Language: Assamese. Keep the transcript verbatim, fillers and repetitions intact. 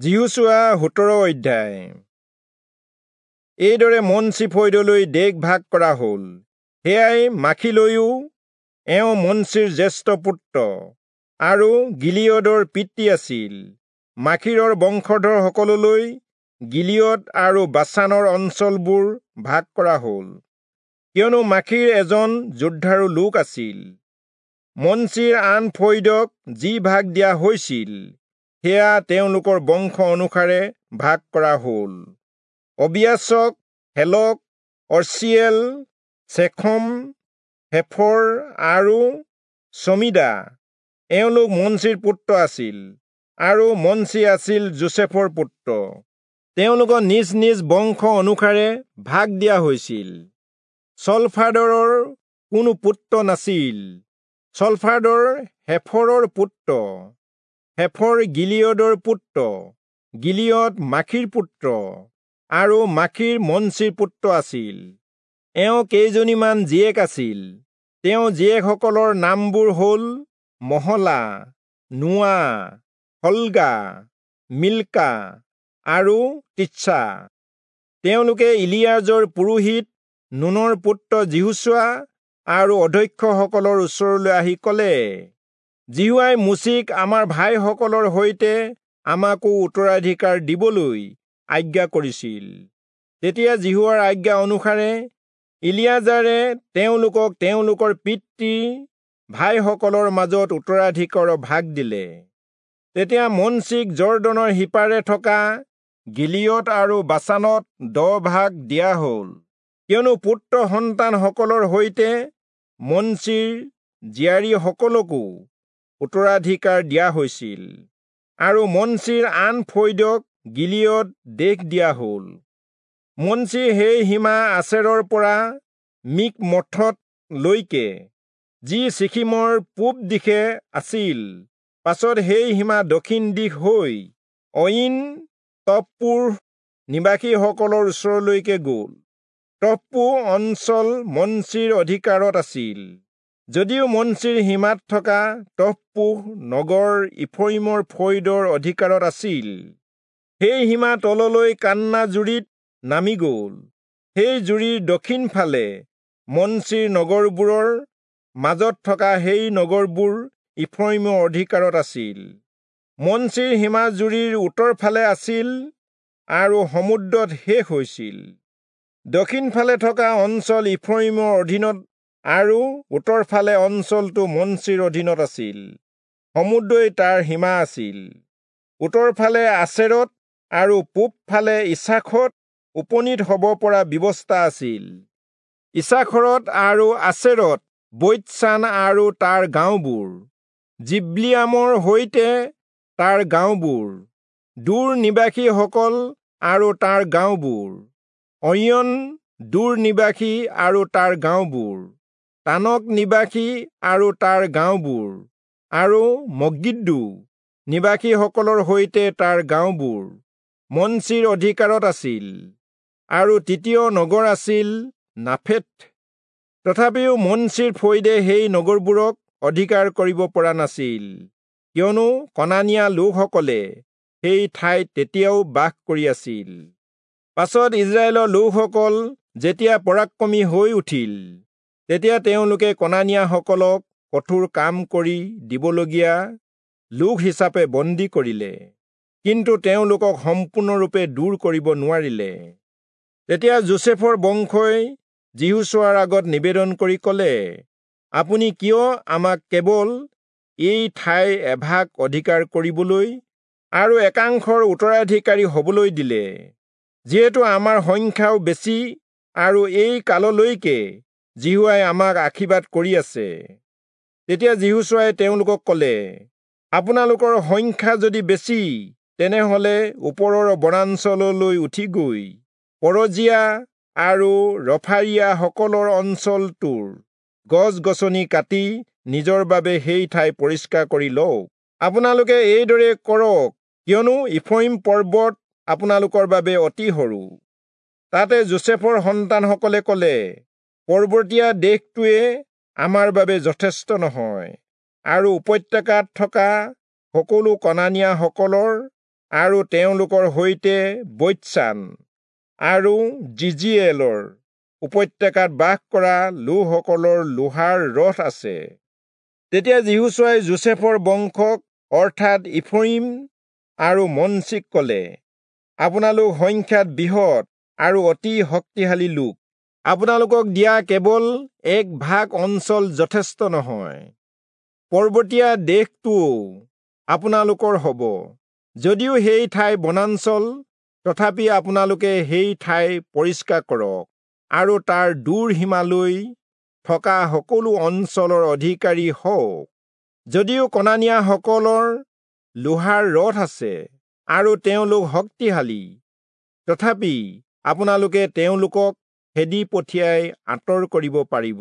যিহোচূৱা সোতৰ অধ্যায়। এইদৰে মনচি ফৈদলৈ দেশ ভাগ কৰা হ'ল। সেয়াই মাখীলৈও, এওঁ মনচিৰ জ্যেষ্ঠ পুত্ৰ আৰু গিলিয়দৰ পিতৃ আছিল। মাখীৰৰ বংশধৰসকললৈ গিলিয়দ আৰু বাচানৰ অঞ্চলবোৰ ভাগ কৰা হ'ল, কিয়নো মাখীৰ এজন যোদ্ধাৰু লোক আছিল। মনচিৰ আন ফৈদক যি ভাগ দিয়া হৈছিল, সেয়া তেওঁলোকৰ বংশ অনুসাৰে ভাগ কৰা হ'ল। অবিয়াচক, হেলক, অৰ্চিয়েল, চেখম, হেফৰ আৰু চমিদা এওঁলোক মনচিৰ পুত্ৰ আছিল, আৰু মনচি আছিল যোচেফৰ পুত্ৰ। তেওঁলোকক নিজ নিজ বংশ অনুসাৰে ভাগ দিয়া হৈছিল। চলফাদৰৰ কোনো পুত্ৰ নাছিল। চলফাদৰ হেফৰৰ পুত্ৰ, হেফৰ গিলিয়দৰ পুত্ৰ, গিলিয়দ মাখীৰ পুত্ৰ, আৰু মাখীৰ মনচিৰ পুত্ৰ আছিল। এওঁ কেইজনীমান জীয়েক আছিল। তেওঁ জীয়েকসকলৰ নামবোৰ হ'ল মহলা, নোৱা, হল্গা, মিল্কা আৰু তিৎসা। তেওঁলোকে ইলিয়াজৰ পুৰোহিত নুনৰ পুত্ৰ যিহোচূৱা আৰু অধ্যক্ষসকলৰ ওচৰলৈ আহি ক'লে, যিহোৱাই মোচিক আমাৰ ভাইসকলৰ সৈতে আমাকো উত্তৰাধিকাৰ দিবলৈ আজ্ঞা কৰিছিল। তেতিয়া যিহোৱাৰ আজ্ঞা অনুসাৰে ইলিয়াজাৰে তেওঁলোকক তেওঁলোকৰ পিতৃ ভাইসকলৰ মাজত উত্তৰাধিকাৰৰ ভাগ দিলে। তেতিয়া মনচিক যৰ্দনৰ সিপাৰে থকা গিলিয়দ আৰু বাচানত দহ ভাগ দিয়া হ'ল, কিয়নো পুত্ৰ সন্তানসকলৰ সৈতে মনচিৰ জীয়াৰীসকলকো উত্তৰাধিকাৰ দিয়া হৈছিল। আৰু মনচিৰ আন ফৈদক গিলিয়দ দেশ দিয়া হ'ল। মনচিৰ সেই সীমা আচেৰৰ পৰা মিকমথত লৈকে, যি চিখিমৰ পূব দিশে আছিল। পাছত সেই সীমা দক্ষিণ দিশ হৈ অয়িন তপ্পূহ নিবাসীসকলৰ ওচৰলৈকে গ'ল। তপ্পূহ অঞ্চল মনচিৰ অধিকাৰত আছিল, যদিও মনচিৰ সীমাত থকা তপ্পূহ নগৰ ইফ্ৰয়িমৰ ফৈদৰ অধিকাৰত আছিল। সেই সীমা তললৈ কান্না জুৰিত নামি গ'ল। সেই জুৰিৰ দক্ষিণ ফালে মনচিৰ নগৰবোৰৰ মাজত থকা সেই নগৰবোৰ ইফ্ৰয়িমৰ অধিকাৰত আছিল। মনচিৰ সীমা জুৰিৰ উত্তৰ ফালে আছিল আৰু সমুদ্ৰত শেষ হৈছিল। দক্ষিণ ফালে থকা অঞ্চল ইফ্ৰয়িমৰ অধীনত আৰু উত্তৰ ফালে অঞ্চলটো মনচিৰ অধীনত আছিল। সমুদ্ৰই তাৰ সীমা আছিল। উত্তৰ ফালে আচেৰত আৰু পূব ফালে ইচাখত উপনীত হ'ব পৰা ব্যৱস্থা আছিল। ইচাখৰত আৰু আচেৰত বৈৎচান আৰু তাৰ গাঁওবোৰ, জিব্লিয়ামৰ সৈতে তাৰ গাঁওবোৰ, দূৰ নিবাসীসকল আৰু তাৰ গাঁওবোৰ, অয়ন দূৰ নিবাসী আৰু তাৰ গাঁওবোৰ, তানক নিবাসী আৰু তাৰ গাঁওবোৰ, আৰু মগিদ্দো নিবাসীসকলৰ সৈতে তাৰ গাঁওবোৰ মনচিৰ অধিকাৰত আছিল। আৰু তৃতীয় নগৰ আছিল নাফেথ। তথাপিও মনচিৰ ফৈদে সেই নগৰবোৰক অধিকাৰ কৰিব পৰা নাছিল, কিয়নো কনানীয়া লোকসকলে সেই ঠাইত তেতিয়াও বাস কৰি আছিল। পাছত ইজৰাইলৰ লোকসকল যেতিয়া পৰাক্ৰমী হৈ উঠিল, তেতিয়া তেওঁলোকে কনানীয়াসকলক কঠোৰ কাম কৰি দিবলগীয়া লোক হিচাপে বন্দী কৰিলে, কিন্তু তেওঁলোকক সম্পূৰ্ণৰূপে দূৰ কৰিব নোৱাৰিলে। তেতিয়া যোচেফৰ বংশই যিহোচূৱাৰ আগত নিবেদন কৰি ক'লে, আপুনি কিয় আমাক কেৱল এই ঠাইৰ এভাগ অধিকাৰ কৰিবলৈ আৰু একাংশৰ উত্তৰাধিকাৰী হ'বলৈ দিলে, যিহেতু আমাৰ সংখ্যাও বেছি আৰু এই কাললৈকে যিহোৱাই আমাক আশীৰ্বাদ কৰি আছে। তেতিয়া যিহোচূৱাই তেওঁলোকক ক'লে, আপোনালোকৰ সংখ্যা যদি বেছি, তেনেহ'লে ওপৰৰ বনাঞ্চললৈ উঠি গৈ পৰজীয়া আৰু ৰফাৰীয়াসকলৰ অঞ্চলটোৰ গছ গছনি কাটি নিজৰ বাবে সেই ঠাই পৰিষ্কাৰ কৰি লওক। আপোনালোকে এইদৰে কৰক, কিয়নো ইফ্ৰয়িম পৰ্বত আপোনালোকৰ বাবে অতি সৰু। তাতে যোচেফৰ সন্তানসকলে ক'লে, পৰ্বতীয়া দেশটোৱে আমাৰ বাবে যথেষ্ট নহয়, আৰু উপত্যকাত থকা সকলো কনানীয়াসকলৰ আৰু তেওঁলোকৰ সৈতে বৈৎচান আৰু যিজিয়েলৰ উপত্যকাত বাস কৰা লোকসকলৰ লোহাৰ ৰথ আছে। তেতিয়া যিহোচূৱাই যোচেফৰ বংশক অৰ্থাৎ ইফ্ৰয়িম আৰু মনচিক কলে, আপোনালোক সংখ্যাত বৃহৎ আৰু অতি শক্তিশালী লোক। আপোনালোকক দিয়া কেৱল এক ভাগ অঞ্চল যথেষ্ট নহয়, পৰ্বতীয়া দেশটোও আপোনালোকৰ হ'ব। যদিও সেই ঠাই বনাঞ্চল, তথাপি আপোনালোকে সেই ঠাই পৰিষ্কাৰ কৰক আৰু তাৰ দূৰ সীমালৈ থকা সকলো অঞ্চলৰ অধিকাৰী হওক। যদিও কনানীয়াসকলৰ লোহাৰ ৰথ আছে আৰু তেওঁলোক শক্তিশালী, তথাপি আপোনালোকে তেওঁলোকক খেদি পঠিয়াই আঁতৰ কৰিব পাৰিব।